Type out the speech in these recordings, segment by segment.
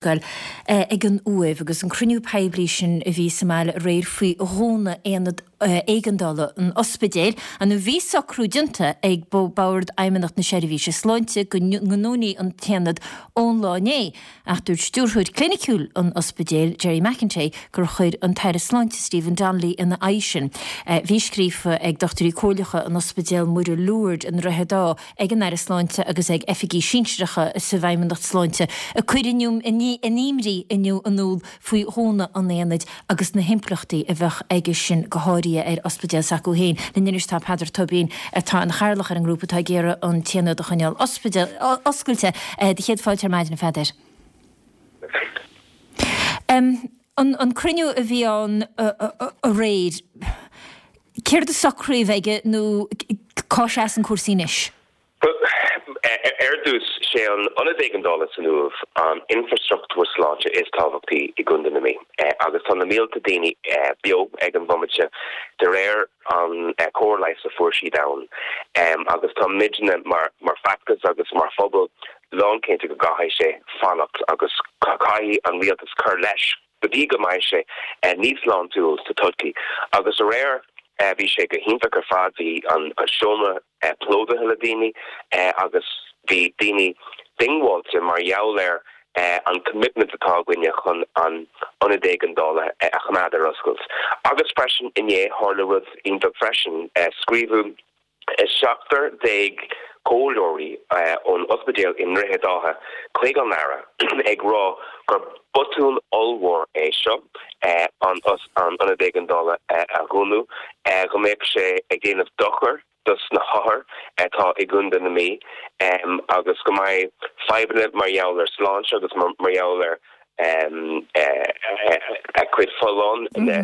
Scoil ag an Uaimh agus an cruinniú poiblí sin a bhí sa mbaile aréir faoi dhúnadh aonad éigeandála an ospidéil. Nó bhí socrú déanta ag Bord Fheidhmeannacht na Seirbhíse Sláinte go ndúnfaí an t-aonad ón lá inné ach dúirt Stiúrthóir Cliniciúil an ospidéil, Gerry McEntee, gur chuir an tAire Sláinte Stephen Donnelly ina aghaidh sin. Bhí scríofa ag Dochtúirí Comhairleacha an Ospidéal Muire Lourdes i nDroichead Átha ag an Aire Sláinte agus ag oifigigh sinsearacha sa bhFeidhmeannacht Sláinte a cuireadh a n-imní inniu in iúl faoi dhúnadh an aonaid agus na himpleachtaí a bheadh aige sin go háirithe ar ospidéal s'acu féin. Linn anois tá Peadar Tóibín atá ina chathaoirleach ar an ngrúpa atá ag iarraidh an t-aonad a choinneáil oscailte. Do chéad fáilte ar maidin, a Pheadair. An cruinniú a bhí ann aréir, céard a socraíodh aige nó cá seasann cúrsaí anois? Ar dtús, sé an Ionad Éigeandála san Uaimh an infrastruchtúr sláinte is tábhachtaí i gContae na Mí agus tá na mílte daoine beo ag an bhomaite de réir an cóir leighis a fuair siad ann agus tá muidne mar feachtas agus mar phobal lánchinnte go gcaithfidh sé fanacht agus caithfidh an rialtas cur leis go dtí go mbeidh sé níos sláintiúil sa todhchaí. Agus aréir bhí sé go hiontach ar fad, bhí an seomra plódaithe le daoine agus bhí daoine diongbháilte mar gheall ar an commitment atá againne chun an ionad éigeandála a choimeád ar oscailt. Agus freisin inné tharla rud iontach freisin, scríobhadh 17 comhairleoirí ón ospidéal i nDroichead Átha chuig an Aire ag rá gur botún ollmhór é seo an ionad éigeandála a dhúnadh, go mbeadh sé ag déanamh dochair dos na hothair atá i gContae na Mí agus go mbeidh fadhbanna mar gheall ar sláinte agus mar gheall ar a cuid folláin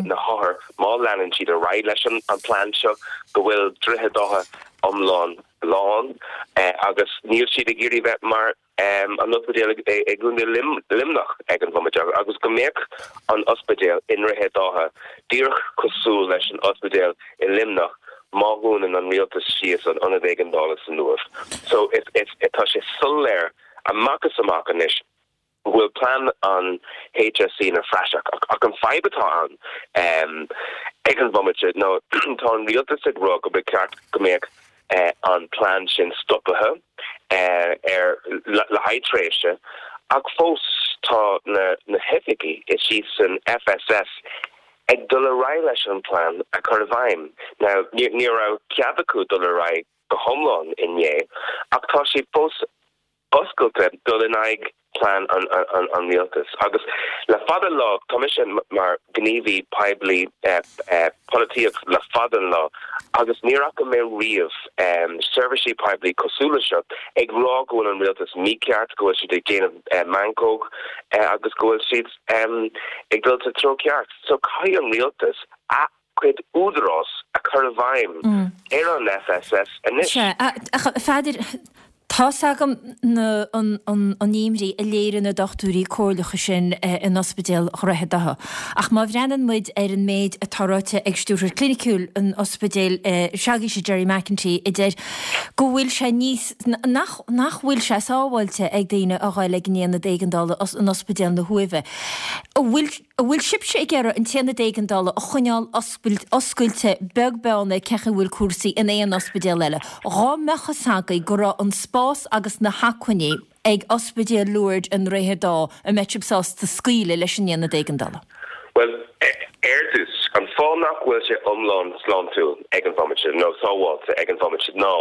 na hothair má leanann siad ar aghaidh leis an plean seo go bhfuil Droichead Átha iomlán lán agus níl siad ag iarraidh bheith mar an ospidéal i gContae Luimneach ag an bhomaite agus go mbeadh an ospidéal i nDroichead Átha díreach cosúil leis an ospidéal i Luimneach má dhúnann an rialtas síos an ionad éigeandála san Uaimh. So tá sé soiléir amach is amach anois go bhfuil plean an HSE ina phraiseach. Ach an fadhb atá ann ag an bhomaite ná tá an rialtas ag rá go mba cheart go mbeadh an plean sin stoptha ar le haghaidh tréimhse ach fós tá na hoifigigh istigh san FSS ag dul ar aghaidh leis an plean a chur i bhfeidhm. Now ní raibh cead acu dul ar aghaidh go hiomlán inné ach tá siad fós oscailte dul in aghaidh plean an rialtais. Agus le fada an lá, tá mise mar ghníomhaí poiblí polaitíocht le fada an lá agus níor fhaca mé riamh seirbhísí poiblí cosúil le seo ag rá go bhfuil an rialtas mícheart, go bhfuil siad ag déanamh meancóg agus go bhfuil siad ag dul sa treo ceart. So caithfidh an rialtas a cuid údarás a chur i bhfeidhm ar an FSS anois. Sea, ach a Pheadair, tá's agam na, an, an, an imní a léirigh na dochtúirí comhairleacha sin in Ospidéal Dhroichead Átha. Ach má bhreathnaíonn muid ar an méid atá ráite ag Stiúrthóir Cliniciúil an ospidéil s'agaibhse, Gerry McEntee, a deir go bhfuil sé níos, nach, nach bhfuil sé sábháilte ag daoine a ghoil ag an aonad éigeandála in Ospidéal na hUaimhe. An bhfuil. An bhfuil sibhse ag iarraidh an t-aonad éigeandála a choinneáil oscailte beag beann ar cén chaoi a bhfuil cúrsaí in aon ospidéal eile? Dhá mbeadh fhios agaibh go raibh an spás agus na hacmhainní ag Ospidéal Lourdes i nDroichead Átha, an mbeadh sibh sásta scaoileadh leis an aonad éigeandála? Bhuel, ar dtús, an fáth nach bhfuil sé iomlán sláintiúil ag an bhomaite, nó sábháilte ag an bhomaite, ná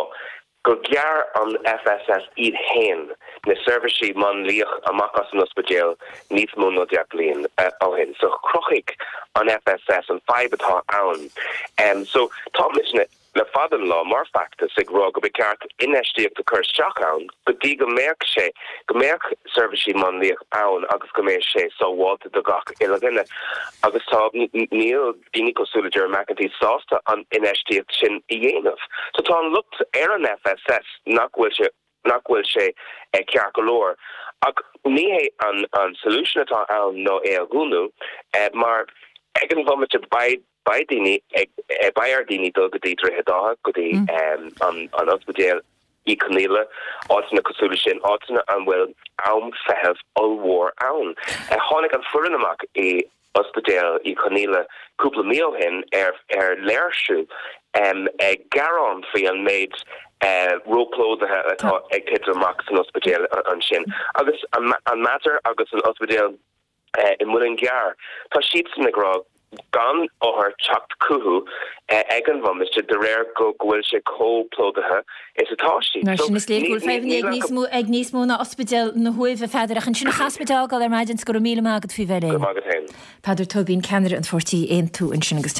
gur ghearr an FSS iad féin na seirbhísí máinliach amach as an ospidéal níos mó ná 10 bliain ó shin. So chruthaigh an FSS an fadhb atá ann. So tá muidne le fada an lá mar feachtas ag rá go ba cheart infheistíocht a chur isteach ann go dtí go mbeadh sé, go mbeadh seirbhísí máinliach ann agus go mbeadh sé sábháilte do gach uile dhuine. Agus tá, níl. daoine cosúil le Gerry McEntee sásta an infheistíocht sin a dhéanamh. So tá an locht ar an FSS nach bhfuil sé nach bhfuil sé ceart go leor. Ach ní hé an an solution atá ann ná é a dhúnadh mar ag an bhomaite beidh beidh daoine ag beidh ar daoine dul go dtí Droichead Átha, go dtí an an ospidéal. Uí Chonghaile, áiteanna cosúil leis sin, áiteanna an bhfuil am feithimh ollmhór ann. Tháinig an foireann amach i Ospidéal Uí Chonghaile cúpla mí ó shin ar léirsiú ag gearán faoi an méid róphlódaithe atá ag titim amach san ospidéal ansin. Agus an Mater agus an ospidéal i Muileann gCearr, tá siadsan ag rá gan othair teacht chucu ag an bhomaite de réir go bhfuil sé chomh plódaithe is atá siad. Mar sin, is léir go bhfuil fadhbanna ag níos mó ag níos mó ná Ospidéal na hUaimhe, a Pheadair, ach ansin a chas muid a fhágáil ar maidin 's go raibh míle maith agat faoi bheith linn. Go raibh maith agat féin. Peadar Tóibín, ceannaire an pháirtí Aontú ansin agus.